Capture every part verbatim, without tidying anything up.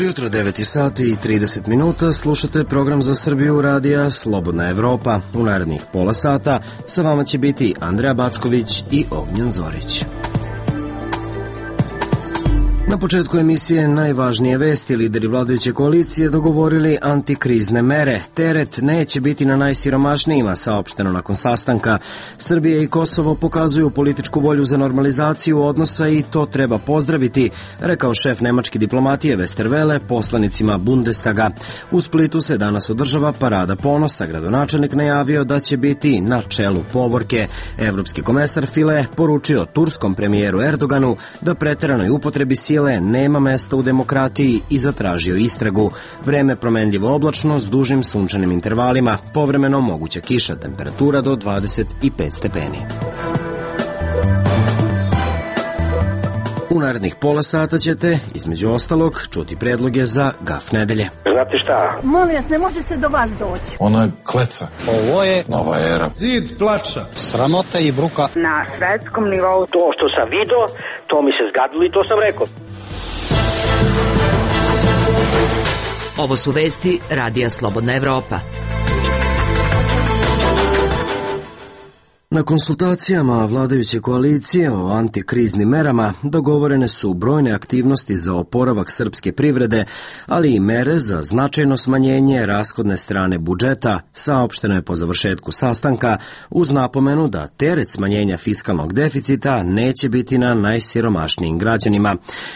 Dobro jutro, devet sati i trideset minuta, slušate program za Srbiju radija Slobodna Evropa. U narednih pola sata sa vama će biti Andreja Backović i Ognjen Zorić. Na početku emisije najvažnije vesti. Lideri vladajuće koalicije dogovorili antikrizne mere. Teret neće biti na najsiromašnijima, saopšteno nakon sastanka. Srbija i Kosovo pokazuju političku volju za normalizaciju odnosa i to treba pozdraviti, rekao šef nemačke diplomatije Westerwelle poslanicima Bundestaga. U Splitu se danas održava parada ponosa. Gradonačelnik najavio da će biti na čelu povorke. Evropski komesar File poručio turskom premijeru Erdoganu da preteranoj upotrebi sile nema mesta u demokratiji i zatražio istragu. Vreme promenljivo oblačno s dužim sunčanim intervalima, povremeno moguća kiša, temperatura do dvadeset pet stepeni. U narednih pola sata ćete, između ostalog, čuti predloge za Gaf nedelje. Znate šta? Molim vas, ne može se do vas doći. Ona je kleca. Ovo je nova era. Zid plača. Sramota i bruka. Na svetskom nivou. To što sam video, to mi se zgadilo i to sam rekao. Ovo su vesti radija Slobodna Evropa. Na konsultacijama vladajuće koalicije o antikriznim merama dogovorene su brojne aktivnosti za oporavak srpske privrede, ali i mere za značajno smanjenje rashodne strane budžeta, saopšteno je po završetku sastanka, uz napomenu da teret smanjenja fiskalnog deficita neće biti na najsiromašnijim građanima.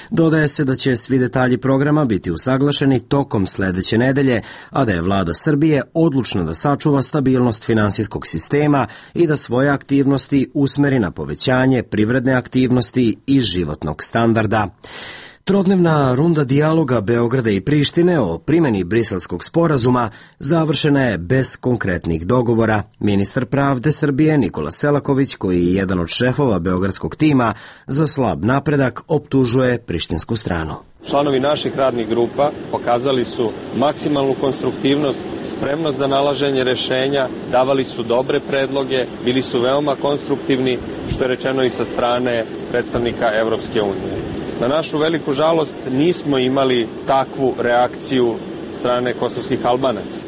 Dodaje se da će svi detalji programa biti usaglašeni tokom sledeće nedelje, a da je vlada Srbije odlučna da sačuva stabilnost finansijskog sistema i da svoje aktivnosti usmeri na povećanje privredne aktivnosti i životnog standarda. Trodnevna runda dijaloga Beograda i Prištine o primjeni Briselskog sporazuma završena je bez konkretnih dogovora. Ministar pravde Srbije Nikola Selaković, koji je jedan od šefova beogradskog tima za slab napredak, optužuje prištinsku stranu. Članovi naših radnih grupa pokazali su maksimalnu konstruktivnost, spremnost za nalaženje rešenja, davali su dobre predloge, bili su veoma konstruktivni, što je rečeno i sa strane predstavnika Evropske unije. Na našu veliku žalost nismo imali takvu reakciju strane kosovskih Albanaca.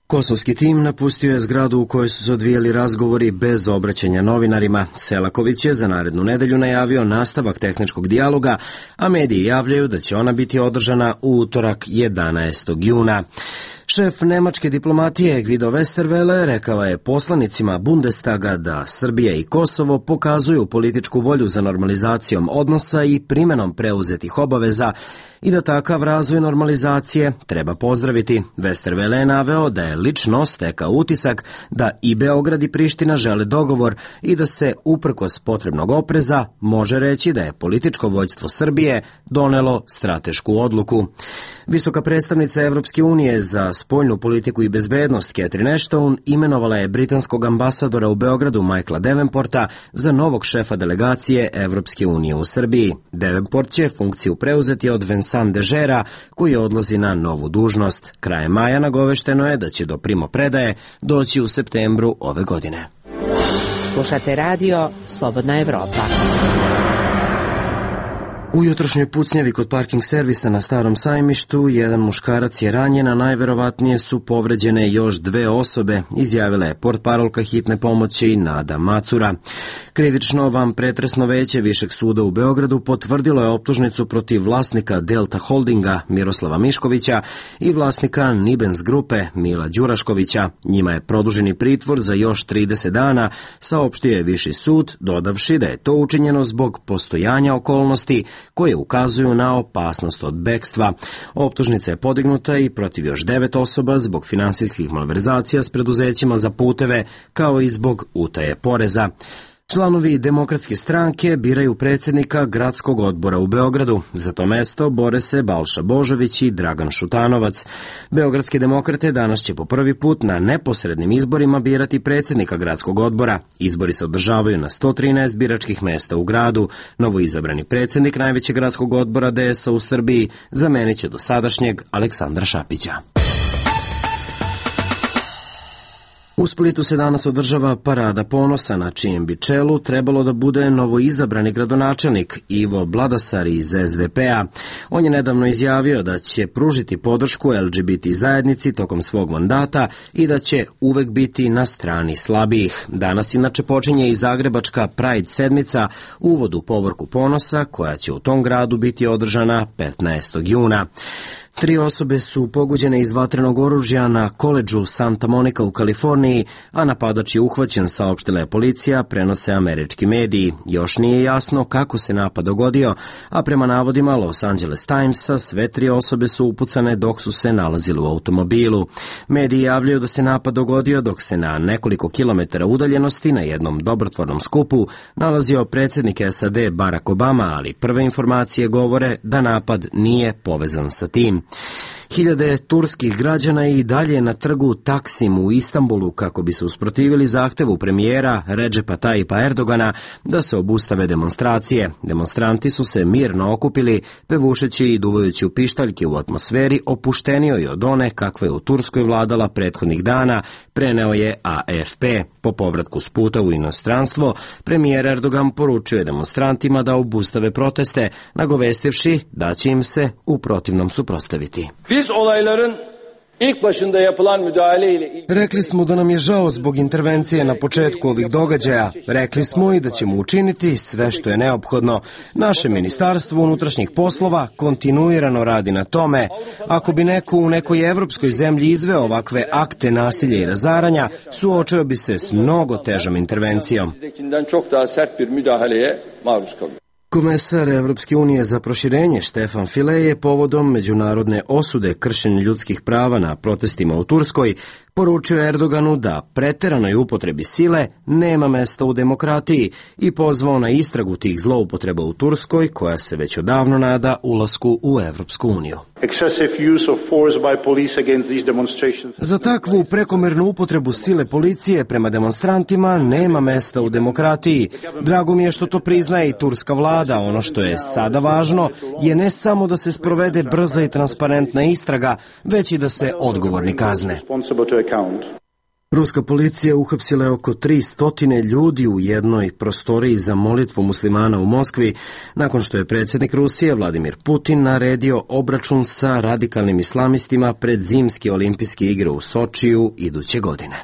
Kosovski tim napustio je zgradu u kojoj su se odvijali razgovori bez obraćanja novinarima. Selaković je za narednu nedelju najavio nastavak tehničkog dijaloga, a mediji javljaju da će ona biti održana u utorak jedanaestog juna. Šef nemačke diplomatije Guido Westerwelle rekao je poslanicima Bundestaga da Srbija i Kosovo pokazuju političku volju za normalizacijom odnosa i primenom preuzetih obaveza i da takav razvoj normalizacije treba pozdraviti. Westerwelle je naveo da je lično stekao utisak da i Beograd i Priština žele dogovor i da se, uprkos potrebnog opreza, može reći da je političko vođstvo Srbije donelo stratešku odluku. Visoka predstavnica Evropske unije za spoljnu politiku i bezbednost Catherine Ashton imenovala je britanskog ambasadora u Beogradu Michaela Davenporta za novog šefa delegacije Evropske unije u Srbiji. Davenport će funkciju preuzeti od Vincent Dežera, koji odlazi na novu dužnost. Krajem maja nagovešteno je da će do primopredaje doći u septembru ove godine. Slušate radio Slobodna Evropa. U jutrošnjoj pucnjavi kod parking servisa na Starom sajmištu jedan muškarac je ranjen, a najverovatnije su povređene još dve osobe, izjavila je portparolka hitne pomoći Nada Macura. Krivično vanpretresno veće Višeg suda u Beogradu potvrdilo je optužnicu protiv vlasnika Delta Holdinga Miroslava Miškovića i vlasnika Nibens grupe Mila Đuraškovića. Njima je produženi pritvor za još trideset dana, saopštio je Viši sud, dodavši da je to učinjeno zbog postojanja okolnosti koje ukazuju na opasnost od bekstva. Optužnica je podignuta i protiv još devet osoba zbog finansijskih malverzacija s preduzećima za puteve, kao i zbog utaje poreza. Članovi Demokratske stranke biraju predsjednika gradskog odbora u Beogradu. Za to mesto bore se Balša Božović i Dragan Šutanovac. Beogradske demokrate danas će po prvi put na neposrednim izborima birati predsjednika gradskog odbora. Izbori se održavaju na sto trinaest biračkih mesta u gradu. Novoizabrani predsjednik najvećeg gradskog odbora D S A u Srbiji zamenit će dosadašnjeg Aleksandra Šapića. U Splitu se danas održava parada ponosa, na čijem bi čelu trebalo da bude novoizabrani gradonačelnik Ivo Bladasar iz es de pe a. On je nedavno izjavio da će pružiti podršku el ge be te zajednici tokom svog mandata i da će uvek biti na strani slabijih. Danas inače počinje i zagrebačka Pride sedmica, uvod u povorku ponosa, koja će u tom gradu biti održana petnaestog juna. Tri osobe su pogođene iz vatrenog oružja na koledžu Santa Monica u Kaliforniji, a napadač je uhvaćen, saopštila je policija, prenose američki mediji. Još nije jasno kako se napad dogodio, a prema navodima Los Angeles Timesa sve tri osobe su upucane dok su se nalazili u automobilu. Mediji javljaju da se napad dogodio dok se na nekoliko kilometara udaljenosti na jednom dobrotvornom skupu nalazio predsjednik es a de Barack Obama, ali prve informacije govore da napad nije povezan sa tim. Hiljade turskih građana i dalje na trgu Taksim u Istanbulu kako bi se usprotivili zahtevu premijera Redžepa Tajipa Erdogana da se obustave demonstracije. Demonstranti su se mirno okupili, pevušeći i duvajući u pištaljke u atmosferi opuštenijoj od one kakva je u Turskoj vladala prethodnih dana, preneo je a ef pe. Po povratku s puta u inostranstvo, premijer Erdogan poručuje demonstrantima da obustave proteste, nagovestivši da će im se u protivnom suprotstaviti. Biz olayların ilk başında yapılan müdahale ile Rekli smo da nam je žao zbog intervencije na početku ovih događaja. Rekli smo i da ćemo učiniti sve što je neophodno. Naše ministarstvo unutrašnjih poslova kontinuirano radi na tome. Ako bi neko u nekoj evropskoj zemlji izveo ovakve akte nasilja i razaranja, suočio bi se s mnogo težom intervencijom. çok daha sert bir müdahaleye maruz kalıyor. Komesar Evropske unije za proširenje Štefan File je povodom međunarodne osude kršenja ljudskih prava na protestima u Turskoj poručio Erdoganu da preteranoj upotrebi sile nema mesta u demokratiji i pozvao na istragu tih zloupotreba u Turskoj, koja se već odavno nada ulasku u Evropsku uniju. Za takvu prekomernu upotrebu sile policije prema demonstrantima nema mesta u demokratiji. Drago mi je što to priznaje i turska vlada. Ono što je sada važno je ne samo da se sprovede brza i transparentna istraga, već i da se odgovorni kazne. Ruska policija uhapsila je oko tristo ljudi u jednoj prostoriji za molitvu muslimana u Moskvi, nakon što je predsjednik Rusije Vladimir Putin naredio obračun sa radikalnim islamistima pred zimske olimpijske igre u Sočiju iduće godine.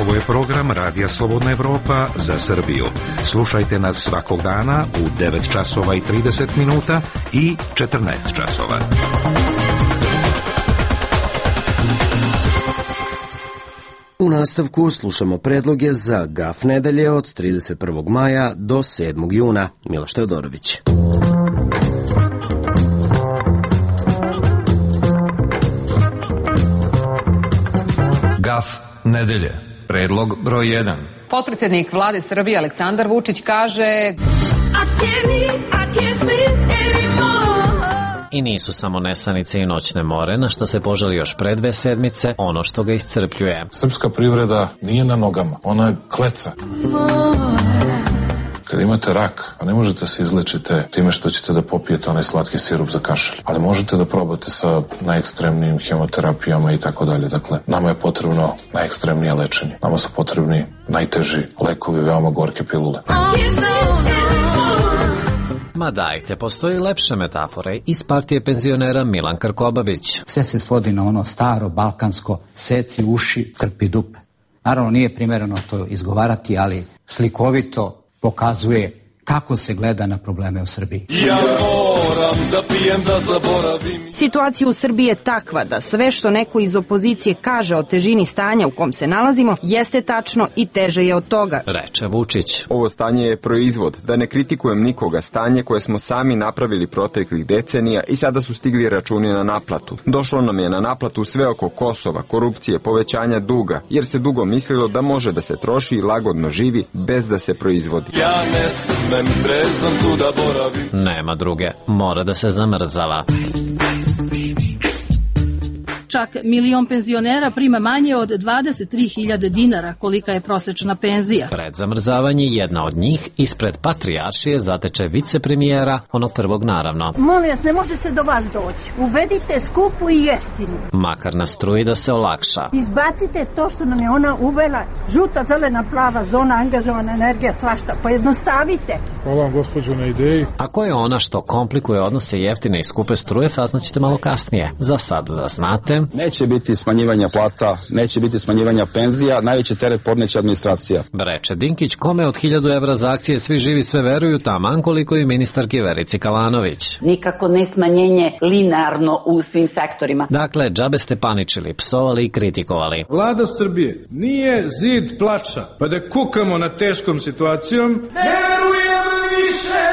Ovo je program Radija Slobodna Evropa za Srbiju. Slušajte nas svakog dana u devet časova i trideset minuta i četrnaest časova. U nastavku slušamo predloge za Gaf nedelje od trideset prvog maja do sedmog juna. Miloš Teodorović. Gaf nedelje. Predlog broj jedan. Potpredsjednik vlade Srbije Aleksandar Vučić kaže: I nisu samo nesanice i noćne more, na što se požali još pre dve sedmice, ono što ga iscrpljuje. Srpska privreda nije na nogama, ona je kleca. Kad imate rak, a ne možete se izlečite time što ćete da popijete onaj slatki sirup za kašalj, ali možete da probate sa najekstremnijim hemoterapijama i tako dalje. Dakle, nama je potrebno najekstremnije lečenje. Nama su potrebni najteži lekovi, veoma gorke pilule. Ma dajte, postoji lepše metafore iz partije penzionera Milan Krkobabić. Sve se svodi na ono staro, balkansko, seci uši, krpi dupe. Naravno, nije primereno to izgovarati, ali slikovito pokazuje kako se gleda na probleme u Srbiji. Ja moram da pijem da zaboravim. Situacija u Srbiji je takva da sve što neko iz opozicije kaže o težini stanja u kom se nalazimo jeste tačno i teže je od toga, reče Vučić. Ovo stanje je proizvod, da ne kritikujem nikoga, stanje koje smo sami napravili proteklih decenija i sada su stigli računi na naplatu. Došlo nam je na naplatu sve oko Kosova, korupcije, povećanja duga, jer se dugo mislilo da može da se troši i lagodno živi bez da se proizvodi. Ja ne smem trezan tu da boravim. Nema druge, mora da se zamrzava. Čak milion penzionera prima manje od dvadeset tri hiljade dinara, kolika je prosečna penzija. Pred zamrzavanje jedna od njih ispred Patrijaršije zateče vicepremijera, onog prvog naravno. Molim vas, ne može se do vas doći. Uvedite skupu i jeftinu. Makar na struji da se olakša. Izbacite to što nam je ona uvela, žuta, zelena, plava zona, angažovana energija, svašta. Pojednostavite. Hvala vam, gospođo, na ideji. Ako je ona što komplikuje odnose jeftine i skupe struje, saznaćete malo kasnije. Za sad da znate. Neće biti smanjivanja plata, neće biti smanjivanja penzija, najveći teret podneće administracija. Breče Dinkić, kome od hiljadu evra za akcije svi živi sve veruju, taman koliko i ministarki Verici Kalanović. Nikako ne smanjenje linearno u svim sektorima. Dakle, džabe ste paničili, psovali i kritikovali. Vlada Srbije nije zid plača, pa da kukamo na teškom situacijom. Ne verujem više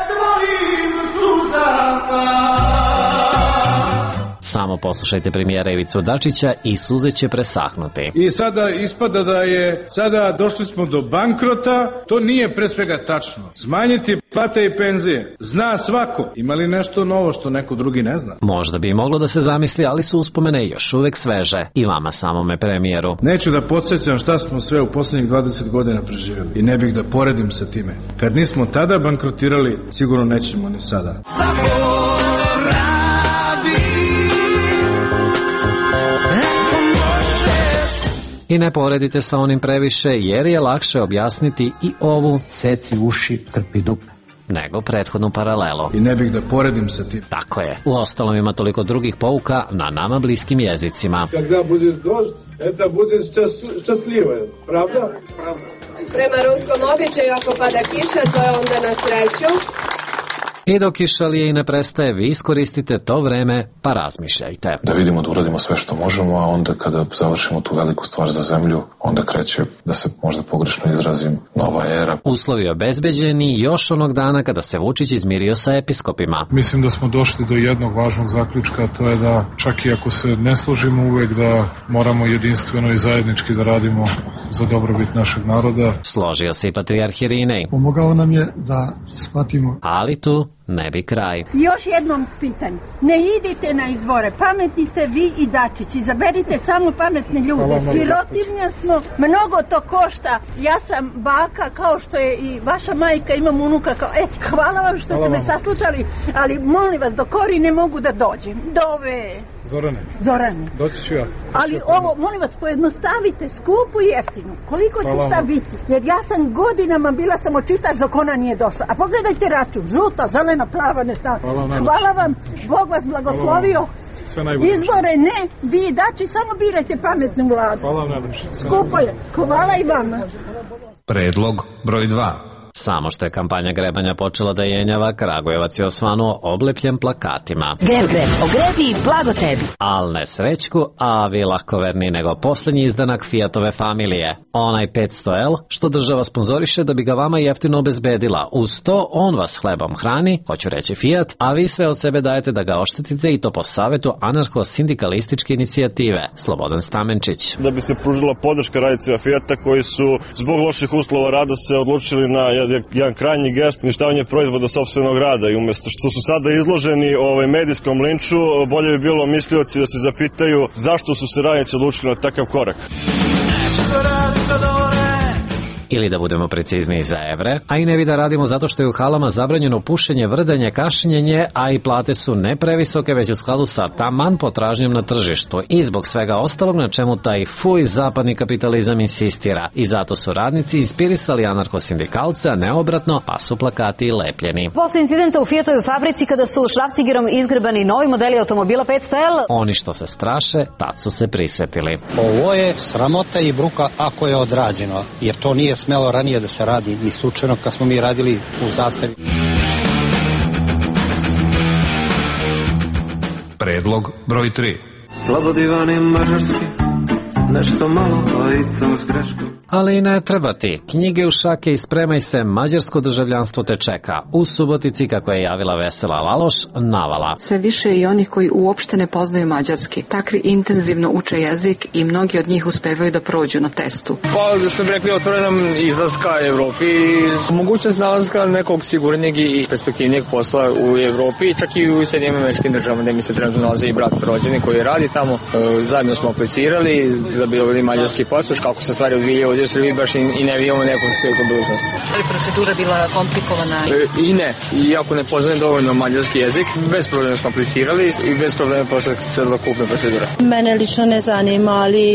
tvojim suzama. Samo poslušajte premijera Ivicu Dačića i suze će presahnuti. I sada ispada da je, sada došli smo do bankrota, to nije pre svega tačno. Smanjiti plate i penzije, zna svako. Ima li nešto novo što neko drugi ne zna? Možda bi moglo da se zamisli, ali su uspomene još uvek sveže. I vama samome premijeru. Neću da podsjećam šta smo sve u poslednjih dvadeset godina preživjeli. I ne bih da poredim sa time. Kad nismo tada bankrotirali, sigurno nećemo ni sada. I ne poredite sa onim previše, jer je lakše objasniti i ovu seci uši, krpi dupe nego prethodnu paralelu. I ne bih da poredim sa tim. Tako je. Uostalom ima toliko drugih pouka na nama bliskim jezicima. Kada budeš došt, eta budeš šťastljiva, pravda? Pravda. Prema ruskom običaju, ako pada kiša, to je onda na sreću. I dok kišalije i ne prestaje, vi iskoristite to vreme pa razmišljajte. Da vidimo da uradimo sve što možemo, a onda kada završimo tu veliku stvar za zemlju, onda kreće, da se možda pogrešno izrazim, nova era. Uslovi obezbeđeni još onog dana kada se Vučić izmirio sa episkopima. Mislim da smo došli do jednog važnog zaključka, to je da čak i ako se ne složimo uvek, da moramo jedinstveno i zajednički da radimo za dobrobit našeg naroda. Složio se i patrijarh Irinej. Pomogao nam je da shvatimo. Ali tu ne bi kraj. Još jednom pitanje. Ne idite na izbore. Pametni ste vi i Dačić. Izaberite samo pametne ljude. Sirotinja smo. Mnogo to košta. Ja sam baka kao što je i vaša majka. Imam unuka kao... E, hvala vam što hvala ste vam. Me saslučali. Ali molim vas, do Kori ne mogu da dođem. Dove... Zorane. Zorane. Doći ću ja. Ali ovo, molim vas, pojednostavite, skupu i jeftinu. Koliko će šta biti? Jer ja sam godinama bila samo čitač dok ona nije došla. A pogledajte račun. Žuta, zelena, plava, ne stavim. Hvala, Hvala vam. Bog vas blagoslovio. Sve najbolje. Izbore ne, vi dači, samo birajte pametnu vladu. Hvala vam najbolje. Skupo je. Hvala i vama. Predlog broj dva. Samo što je kampanja grebanja počela da jenjava, Kragujevac je osvanuo oblepljen plakatima. Greb, greb, ogrebi, blago tebi. Al ne srećku, a vi lakoverni nego posljednji izdanak Fiatove familije. Onaj petsto L, što država sponzoriše da bi ga vama jeftino obezbedila. Uz to, on vas hlebom hrani, hoću reći Fiat, a vi sve od sebe dajete da ga oštetite i to po savetu anarcho-sindikalističke inicijative. Slobodan Stamenčić. Da bi se pružila podrška radnicima Fiata koji su zbog loših uslova rada se odlučili na jedan krajnji gest, uništavanje proizvoda sopstvenog rada i umjesto što su sada izloženi ovaj medijskom linču, bolje bi bilo mislioci da se zapitaju zašto su se radnici odlučili na takav korak. Ili da budemo precizniji za evre, a i ne bi da radimo zato što je u halama zabranjeno pušenje, vrdanje, kašljenje, a i plate su ne previsoke, već u skladu sa taman potražnjom na tržištu i zbog svega ostalog na čemu taj fuj zapadni kapitalizam insistira. I zato su radnici inspirisali anarcho-sindikalce, a ne obratno, pa su plakati lepljeni. Posle incidenta u Fiatovoj fabrici kada su šrafcigerom izgrebani novi modeli automobila petsto L, oni što se straše, tad su se prisetili. Ovo je sramota i bruka ako je odrađeno, jer to nije smelo ranije da se radi, ni slučajno kad smo mi radili u Zastavi. Predlog broj tri. Slobodivan je mađarski, nešto malo pa i to s greškom. Ali ne treba ti. Knjige u šake i spremaj se, mađarsko državljanstvo te čeka. U Subotici, kako je javila Vesela Laloš, navala. Sve više i onih koji uopšte ne poznaju mađarski. Takvi intenzivno uče jezik i mnogi od njih uspevaju da prođu na testu. Pa, da sam rekli, otvorenom izlaska Evropi i mogućnost nalazka nekog sigurnijeg i perspektivnijeg posla u Evropi, čak i u Sjedinjenim Američkim Državama, gde mi se trenutno nalazi i brat rođeni koji radi tamo. E, zajedno smo aplicirali da bi dobili mađarski pasoš, kako se stvari odvijaju ovdje u Srbiji, baš i, i ne vidimo neku svijetu budućnost. Ali procedura bila komplikovana? E, I ne. Iako ne poznajem dovoljno mađarski jezik, bez problema smo aplicirali i bez problema posle celokupna procedura. Mene lično ne zanima, ali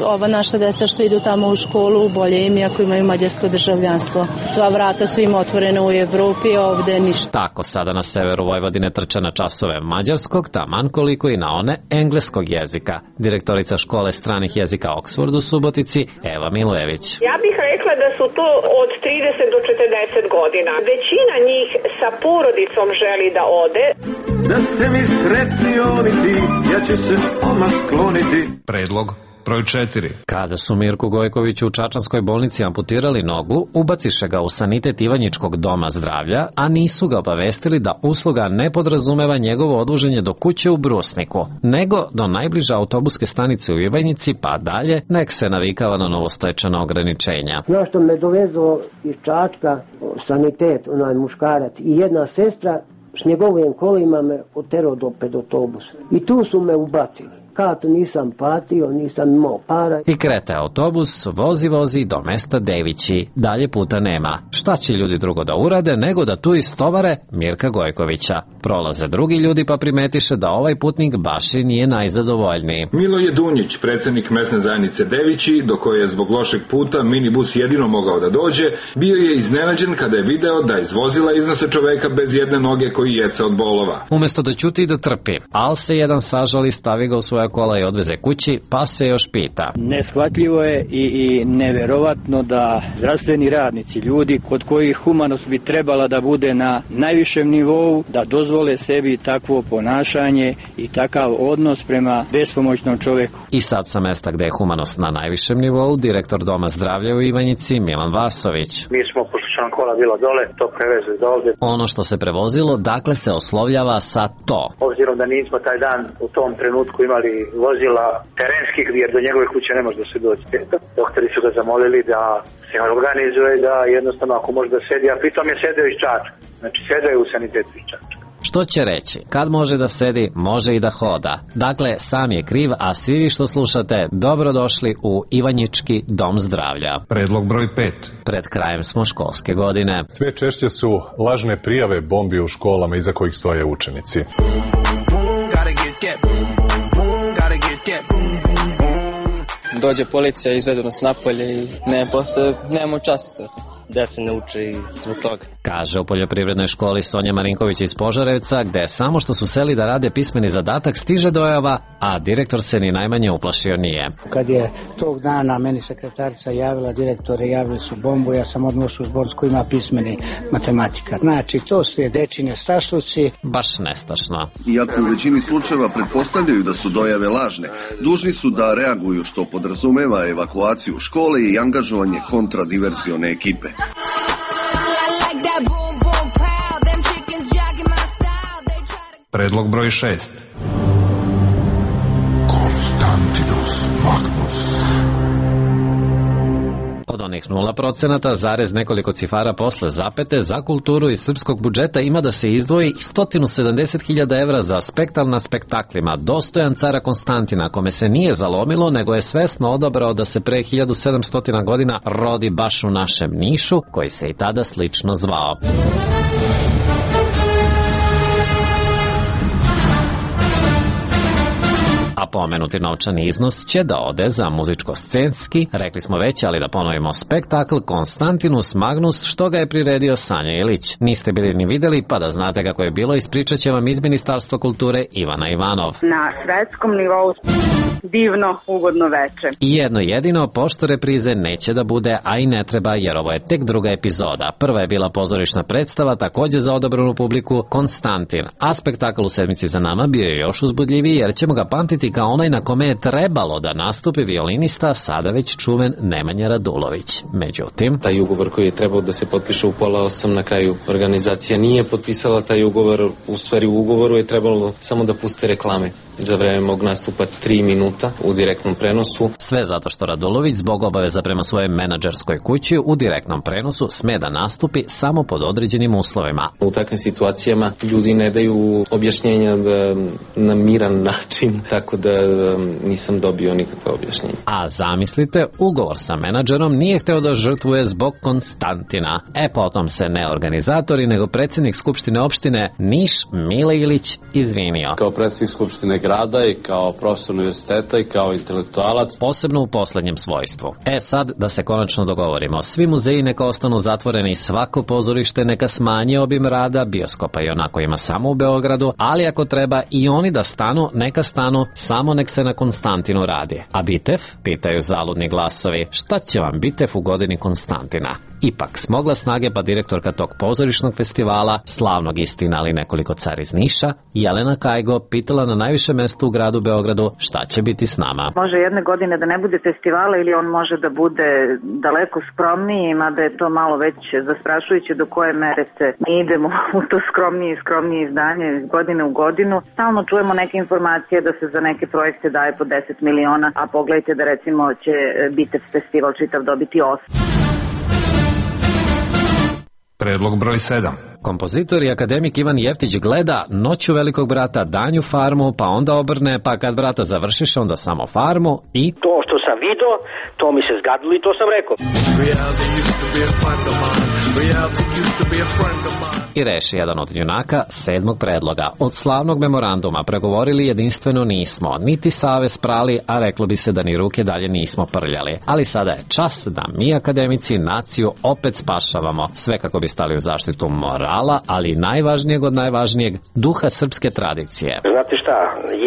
ova naša deca što idu tamo u školu, bolje im ako imaju mađarsko državljanstvo. Sva vrata su im otvorena u Evropi, a ovde ništa. Tako sada na severu Vojvodine trče na časove mađarskog, taman koliko i na one engleskog jezika. Direktorica škole stranih jezika Oxford u Subotici, Eva Milojević. Ja bih rekla da su to od trideset do četrdeset godina. Većina njih sa porodicom želi da ode. Da ste mi sretni oni ti, ja ću se odmah skloniti. Predlog broj četiri. Kada su Mirku Gojkoviću u čačanskoj bolnici amputirali nogu, ubaciše ga u sanitet Ivanjičkog doma zdravlja, a nisu ga obavestili da usluga ne podrazumeva njegovo odvoženje do kuće u Brusniku, nego do najbliže autobuske stanice u Ivanjici, pa dalje, nek se navikava na novostoječana ograničenja. Znaš što me dovezo iz Čačka, sanitet, onaj muškarac, i jedna sestra s njegovim kolima me oterao do pred autobusa. I tu su me ubacili. Kartu nisam platio, nisam imao para. I krete autobus, vozi vozi do mesta Devići. Dalje puta nema. Šta će ljudi drugo da urade nego da tu istovare Mirka Gojkovića. Prolaze drugi ljudi pa primetiše da ovaj putnik baš i nije najzadovoljniji. Miloje Dunjić, predsjednik mesne zajednice Devići, do koje je zbog lošeg puta minibus jedino mogao da dođe, bio je iznenađen kada je video da iz vozila iznose čoveka bez jedne noge koji jeca od bolova. Umesto da ćuti i da trpi, al se jedan sažali, stavi ga u svoja kola i odveze kući, pa se još pita. Neshvatljivo je i, i neverovatno da zdravstveni radnici, ljudi kod kojih humanost bi trebala da bude na najvišem nivou, da dozvole sebi takvo ponašanje i takav odnos prema bespomoćnom čoveku. I sad sa mesta gde je humanost na najvišem nivou, direktor Doma zdravlja u Ivanjici, Milan Vasović. Mi smo, pošto su nam kola bila dole, to prevezli do ovde. Ono što se prevozilo, dakle se oslovljava sa to. Obzirom da nismo taj dan u tom trenutku imali vozila terenskih, jer do njegove kuće ne može da se doći. Doktori su ga zamolili da se organizuje, da jednostavno ako može da sedi, a pritom je sedeo iz Čačka. Znači sedeo je u sanitetu iz Čačka. Što će reći? Kad može da sedi, može i da hoda. Dakle, sam je kriv, a svi vi što slušate, dobrodošli u Ivanjički dom zdravlja. Predlog broj pet. Pred krajem smo školske godine. Sve češće su lažne prijave bombi u školama iza kojih stoje učenici. Dođe policija, izvedu nas napolje i ne, posle nemamo čast. Deca ne uče i zbog toga. Kaže u poljoprivrednoj školi Sonja Marinković iz Požarevca, gde samo što su seli da rade pismeni zadatak stiže dojava, a direktor se ni najmanje uplašio nije. Kad je tog dana meni sekretarica javila, direktore javili su bombu, ja sam odmah u zbor koji ima pismeni matematika. Znači, to su je dečine stašluci. Baš nestašno. Iako u većini slučajeva pretpostavljaju da su dojave lažne, dužni su da reaguju, što podrazumeva evakuaciju škole i angažovanje kontradiversione ekipe. Predlog broj šest. Konstantinos Magnus. Od onih nula procenata, zarez nekoliko cifara posle zapete, za kulturu iz srpskog budžeta ima da se izdvoji sto sedamdeset hiljada evra za spektakl na spektaklima dostojan cara Konstantina, kome se nije zalomilo, nego je svesno odabrao da se pre hiljadu sedamsto godina rodi baš u našem Nišu, koji se i tada slično zvao. A pomenuti novčani iznos će da ode za muzičko-scenski, rekli smo već, ali da ponovimo, spektakl Konstantinus Magnus, što ga je priredio Sanja Ilić. Niste bili ni videli, pa da znate kako je bilo, ispričat će vam iz Ministarstva kulture Ivana Ivanov. Na svetskom nivou Divno, ugodno veče. I jedno jedino, pošto reprize neće da bude, a i ne treba, jer ovo je tek druga epizoda. Prva je bila pozorišna predstava, takođe za odabranu publiku, Konstantin. A spektakl u sedmici za nama bio je još uzbudljiviji, jer ćemo ga pamtiti kao onaj na kome je trebalo da nastupi violinista, sada već čuven Nemanja Radulović. Međutim, taj ugovor koji je trebao da se potpiše u pola osam, na kraju organizacija nije potpisala taj ugovor. U stvari u ugovoru je trebalo samo da puste reklame za vreme mog nastupa tri minuta u direktnom prenosu. Sve zato što Radulović zbog obaveza prema svojoj menadžerskoj kući u direktnom prenosu sme da nastupi samo pod određenim uslovima. U takvim situacijama ljudi ne daju objašnjenja da, na miran način, tako da nisam dobio nikakve objašnjenja. A zamislite, ugovor sa menadžerom nije hteo da žrtvuje zbog Konstantina. E potom se ne organizatori, nego predsjednik Skupštine opštine Niš Mile Ilić izvinio. Kao predsjednik Skupštine grada i kao profesor univerziteta i kao intelektualac. Posebno u poslednjem svojstvu. E sad da se konačno dogovorimo. Svi muzeji neka ostanu zatvoreni, svako pozorište neka smanji obim rada, bioskopa i onako ima samo u Beogradu, ali ako treba i oni da stanu, neka stanu, samo nek se na Konstantinu radi. A Bitev? Pitaju zaludni glasovi. Šta će vam Bitev u godini Konstantina? Ipak smogla snage pa direktorka tog pozorišnog festivala, slavnog istina ali nekoliko car iz Niša, Jelena Kajgo, pitala na najviše mesto u gradu Beogradu šta će biti s nama. Može jedne godine da ne bude festivala ili on može da bude daleko skromniji, mada je to malo već zastrašujuće do koje mere se mi idemo u to skromnije i skromnije izdanje iz godine u godinu. Stalno čujemo neke informacije da se za neke projekte daje po deset miliona, a pogledajte da recimo će Bitev festival čitav dobiti osam. Predlog broj sedam. Kompozitor i akademik Ivan Jeftić gleda Noću velikog brata, Danju farmu, pa onda obrne, pa kad brata završiš, onda samo farmu i... To što sam video, to mi se zgadilo i to sam rekao. I reši jedan od junaka sedmog predloga. Od slavnog memoranduma pregovorili jedinstveno nismo, niti savez prali, a reklo bi se da ni ruke dalje nismo prljali. Ali sada je čas da mi akademici naciju opet spašavamo, sve kako bi stali u zaštitu morala, ali najvažnijeg od najvažnijeg, duha srpske tradicije. Znate šta,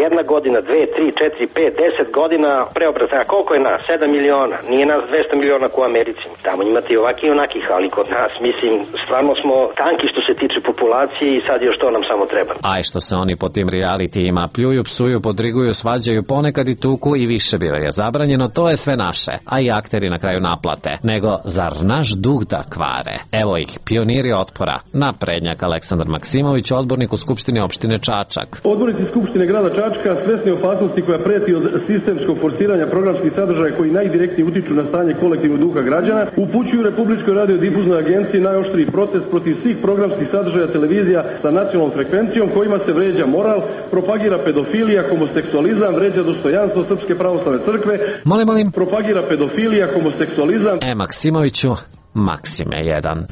jedna godina, dve, tri, četiri, pet, deset godina preobrazna, a koliko je nas? sedam miliona, nije nas dvesta miliona ko u Americi. Tamo imate i ovakih i onakih, ali kod nas, mislim, stvarno smo tanki što se tiče populacije i sad još to nam samo treba. Aj što se oni po tim realitijima pljuju, psuju, podriguju, svađaju, ponekad i tuku i više bilo je zabranjeno, to je sve naše, a i akteri na kraju naplate. Nego, zar naš duh da kvare? Evo ih, pioniri otpora, naprednjak Aleksandar Maksimović, odbornik u Skupštini opštine Čačak. Odbornici Skupštine grada Čačka, svesni opasnosti koja preti od sistemskog forsiranja programskih sadržaja koji najdirektnije utiču na stanje kolektivnog duha građana, upućuju Republičkoj radiodifuznoj agenciji najoštriji protest protiv svih programskih sadržaja televizija sa nacionalnom frekvencijom kojima se vređa moral, propagira pedofilija, homoseksualizam, vređa dostojanstvo Srpske pravoslavne crkve. Molim, molim. Propagira pedofilija, homoseksualizam. E, Maksimoviću, Maksime jedan.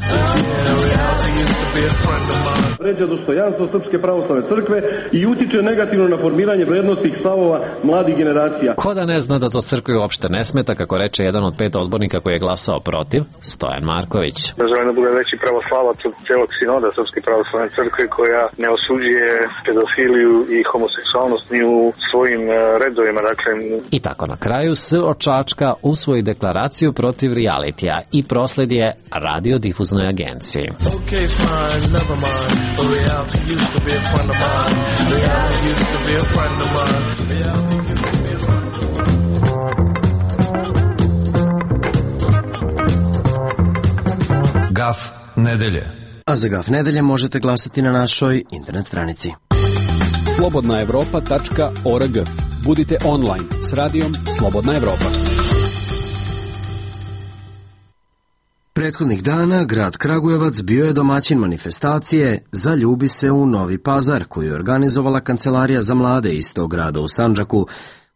Vređa dostojanstvo Srpske pravoslavne crkve i utiče negativno na formiranje vrednostnih stavova mladih generacija. Ko da ne zna da to crkvi uopšte ne smeta, kako reče jedan od pet odbornika koji je glasao protiv, Stojan Marković. Želim da bude veći pravoslavac od celog sinoda Srpske pravoslavne crkve koja ne osuđuje pedofiliju i homoseksualnost ni u svojim redovima. Dakle... I tako na kraju S od Čačka usvoji deklaraciju protiv realitija i prosled je radiodifuznoj agenciji. Okay, fine, never mind. But reality used to be a friend of mine. Reality used to be a friend of mine. Reality used to be a friend of mine. Gaf nedelje. A za Gaf nedelje možete glasati na našoj internet stranici. slobodna evropa tačka org. Budite online s radijom Slobodna Evropa. Prethodnih dana grad Kragujevac bio je domaćin manifestacije Zaljubi se u Novi Pazar, koju je organizovala Kancelarija za mlade istog grada u Sandžaku.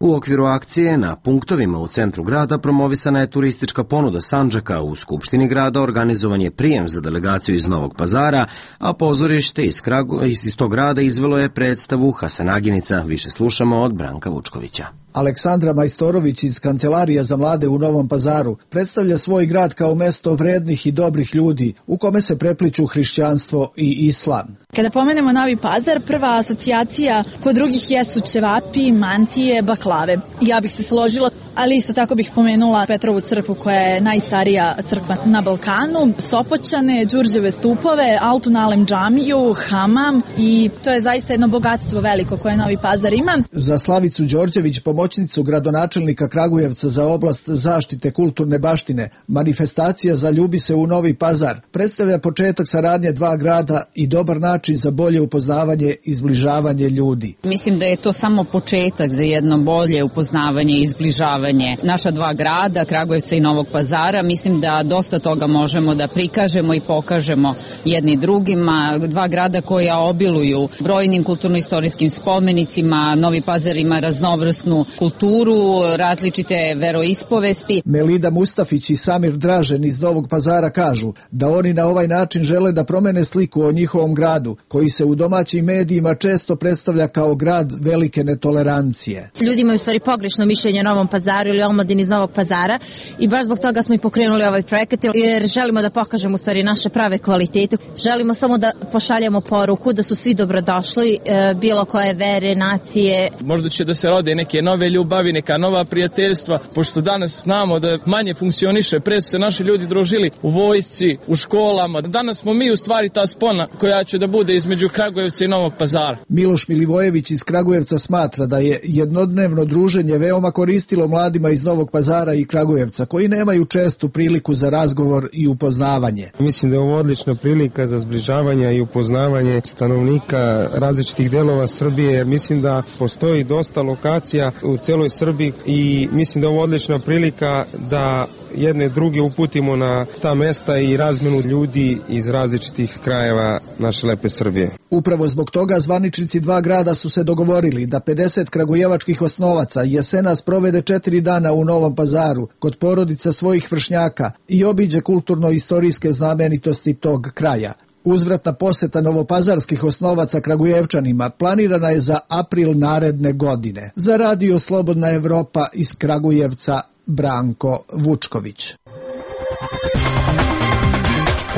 U okviru akcije na punktovima u centru grada promovisana je turistička ponuda Sandžaka, u Skupštini grada organizovan je prijem za delegaciju iz Novog Pazara, a pozorište iz, Kragu, iz tog grada izvelo je predstavu Hasanaginica. Više slušamo od Branka Vučkovića. Aleksandra Majstorović iz Kancelarija za mlade u Novom Pazaru predstavlja svoj grad kao mesto vrednih i dobrih ljudi u kome se prepliču hrišćanstvo i islam. Kada pomenemo Novi Pazar, prva asocijacija kod drugih jesu ćevapi, mantije, baklave. Ja bih se složila, ali isto tako bih pomenula Petrovu crkvu koja je najstarija crkva na Balkanu, Sopoćane, Đurđeve stupove, Altun-alem džamiju, hamam i to je zaista jedno bogatstvo veliko koje Novi Pazar ima. Za Slavicu Đorđević, pomoćnicu gradonačelnika Kragujevca za oblast zaštite kulturne baštine, manifestacija Zaljubi se u Novi Pazar predstavlja početak saradnje dva grada i dobar način za bolje upoznavanje i zbližavanje ljudi. Mislim da je to samo početak za jedno bolje upoznavanje i zbližavanje naša dva grada, Kragujevca i Novog Pazara. Mislim da dosta toga možemo da prikažemo i pokažemo jedni drugima. Dva grada koja obiluju brojnim kulturno-istorijskim spomenicima. Novi Pazar ima raznovrsnu kulturu, različite veroispovesti. Melida Mustafić i Samir Dražen iz Novog Pazara kažu da oni na ovaj način žele da promene sliku o njihovom gradu, koji se u domaćim medijima često predstavlja kao grad velike netolerancije. Ljudi imaju u stvari pogrešno mišljenje o Novom Pazaru ili omladini iz Novog Pazara i baš zbog toga smo i pokrenuli ovaj projekat jer želimo da pokažemo u stvari naše prave kvalitete. Želimo samo da pošaljemo poruku da su svi dobrodošli, bilo koje vere, nacije. Možda će da se rode neke nove ljubavi, neka nova prijateljstva, pošto danas znamo da manje funkcioniše. Pre su se naši ljudi družili u vojsci, u školama. Danas smo mi u stvari ta spona koja će da bude između Kragujevca i Novog Pazara. Miloš Milivojević iz Kragujevca smatra da je jednodnevno druženje veoma koristilo mladima iz Novog Pazara i Kragujevca, koji nemaju čestu priliku za razgovor i upoznavanje. Mislim da je ovo odlična prilika za zbližavanje i upoznavanje stanovnika različitih delova Srbije, jer mislim da postoji dosta lokacija u celoj Srbiji i mislim da je ovo odlična prilika da jedne druge uputimo na ta mesta i razmenu ljudi iz različitih krajeva naše lepe Srbije. Upravo zbog toga zvaničnici dva grada su se dogovorili da pedeset kragujevačkih osnovaca jesenas provede četiri dana u Novom Pazaru kod porodica svojih vršnjaka i obiđe kulturno-istorijske znamenitosti tog kraja. Uzvratna poseta novopazarskih osnovaca Kragujevčanima planirana je za april naredne godine. Za Radio Slobodna Evropa iz Kragujevca, Branko Vučković.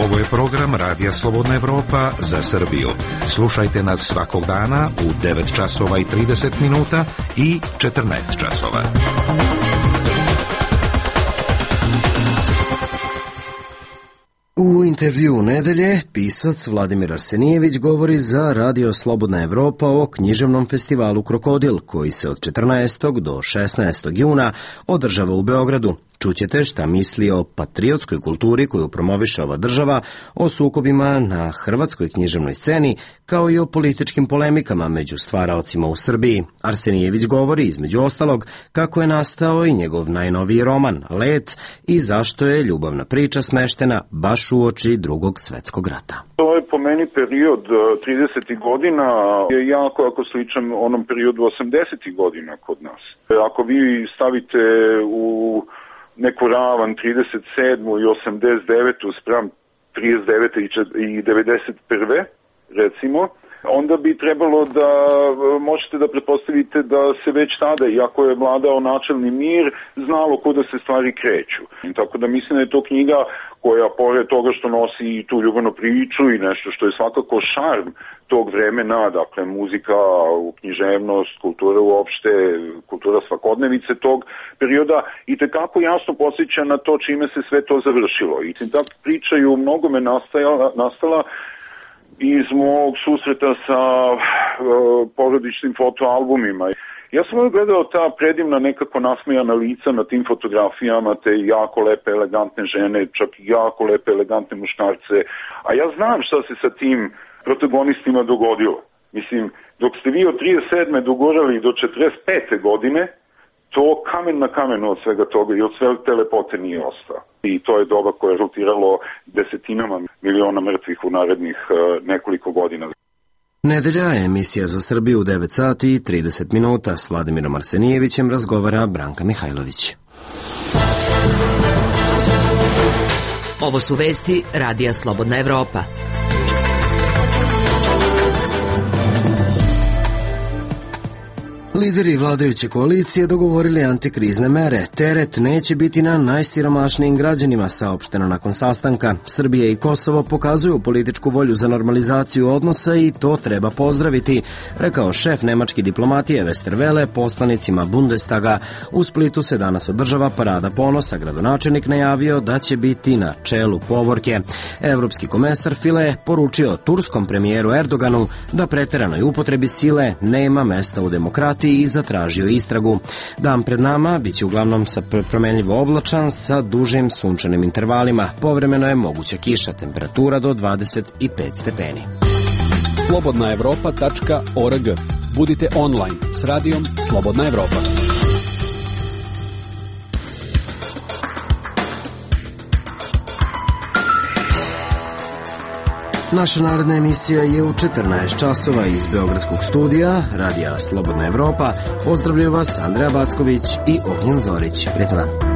Ovo je program Radija Slobodna Evropa za Srbiju. Slušajte nas svakog dana u devet časova i trideset minuta i četrnaest časova. U intervju nedelje pisac Vladimir Arsenijević govori za Radio Slobodna Evropa o književnom festivalu Krokodil, koji se od četrnaestog do šesnaestog juna održava u Beogradu. Čućete šta misli o patriotskoj kulturi koju promoviše ova država, o sukobima na hrvatskoj književnoj sceni, kao i o političkim polemikama među stvaraocima u Srbiji. Arsenijević govori, između ostalog, kako je nastao i njegov najnoviji roman, Let, i zašto je ljubavna priča smeštena baš u oči Drugog svetskog rata. To je po meni period tridesetih godina, je jako jako sličan onom periodu osamdesetih godina kod nas. Ako vi stavite u neku ravan trideset sedmu i osamdeset devetu spram trideset devete i devedeset prve recimo, onda bi trebalo da možete da pretpostavite da se već tada, iako je vladao načelni mir, znalo kuda se stvari kreću. Tako da mislim da je to knjiga koja, pored toga što nosi i tu ljubavnu priču i nešto što je svakako šarm tog vremena, dakle muzika, književnost, kultura uopšte, kultura svakodnevice tog perioda, i tekako jasno podsjeća na to čime se sve to završilo. I ta priča je u mnogome nastala, nastala iz mog susreta sa uh, porodičnim fotoalbumima. Ja sam uvijek gledao ta predivna nekako nasmejana lica na tim fotografijama, te jako lepe, elegantne žene, čak i jako lepe, elegantne muškarce. A ja znam šta se sa tim protagonistima dogodilo. Mislim, dok ste vi od trideset sedme dogorali do četrdeset pete godine, to kamen na kamenu od svega toga i od sve te lepote nije ostao. I to je doba koje je rotiralo desetinama miliona mrtvih u narednih uh, nekoliko godina. Nedelja, emisija za Srbiju u devet sati i trideset minuta. S Vladimirom Arsenijevićem razgovara Branka Mihajlović. Ovo su vesti Radija Slobodna Evropa. Lideri vladajuće koalicije dogovorili antikrizne mere. Teret neće biti na najsiromašnijim građanima, saopšteno nakon sastanka. Srbija i Kosovo pokazuju političku volju za normalizaciju odnosa i to treba pozdraviti, rekao šef nemačke diplomatije Westerwelle poslanicima Bundestaga. U Splitu se danas održava parada ponosa. Gradonačelnik najavio da će biti na čelu povorke. Evropski komesar File poručio turskom premijeru Erdoganu da preteranoj upotrebi sile nema mesta u demokratiji i zatražio istragu. Dan pred nama biće uglavnom sa promenljivo oblačan sa dužim sunčanim intervalima. Povremeno je moguća kiša, temperatura do dvadeset pet stepeni. slobodna evropa tačka org. Budite online s radijom Slobodna Evropa. Naša naredna emisija je u četrnaest časova iz Beogradskog studija Radija Slobodna Evropa. Pozdravljaju vas Andreja Backović i Ognjen Zorić. Prijetno dan.